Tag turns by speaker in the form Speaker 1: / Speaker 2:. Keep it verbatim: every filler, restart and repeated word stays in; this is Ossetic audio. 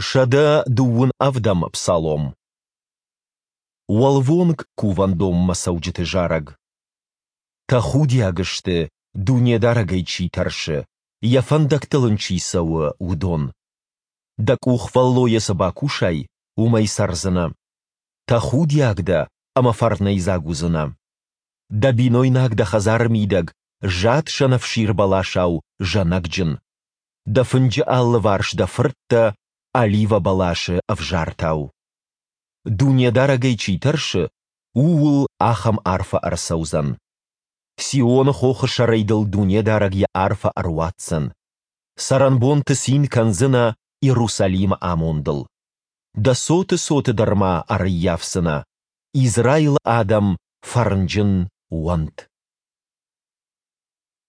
Speaker 1: Сӕдӕ дыууын ӕвдӕм псалом. Уӕлвонг кувӕндонмӕ цӕуджыты зарӕг. Тӕхудиаг сты, Дунедарӕгӕй чи тӕрсы, Йӕ фӕндӕгтыл Ын чи цӕуы, уыдон. Дӕ къухфӕллойӕ цы бакусай, уымӕй цӕрдзынӕ. Тӕхудиаг дӕ ӕмӕ фӕрнӕйдзаг уыдзынӕ. Дӕ бинойнаг дӕ хӕдзары мидӕг зад сӕнӕфсир бӕласау зӕнӕгджын. Дӕ фынджы алыварс дӕ фырттӕ оливӕ бӕласы ӕвзартау. Дунедарӕгӕй чи тӕрсы, ууыл ахӕм арфӕ ӕрцӕудзӕн. Сионы хохы сӕрӕй дыл Дунедарӕг Йӕ арфӕ ӕруадздзӕн. Цӕрӕнбонты цин кӕндзынӕ Иерусалимы амондыл. Дӕ цоты цоты дӕр ма ӕрӕййафдзынӕ. Израилы адӕм фӕрнджын уӕнт!